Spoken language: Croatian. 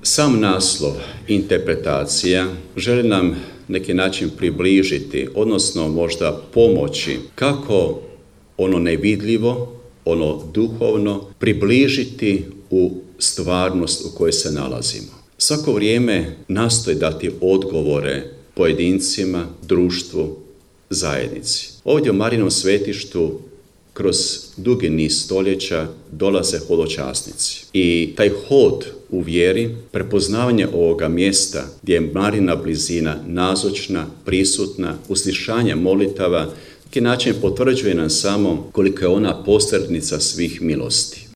Sam naslov, interpretacija, želi nam neki način približiti, odnosno možda pomoći kako ono nevidljivo, ono duhovno približiti u stvarnost u kojoj se nalazimo. Svako vrijeme nastoji dati odgovore pojedincima, društvu, zajednici. Ovdje u Marijinom svetištu kroz dugi niz stoljeća dolaze hodočasnici. I taj hod u vjeri, prepoznavanje ovoga mjesta gdje je Marijina blizina nazočna, prisutna, uslišanje molitava, neki način potvrđuje nam samo koliko je ona posrednica svih milosti.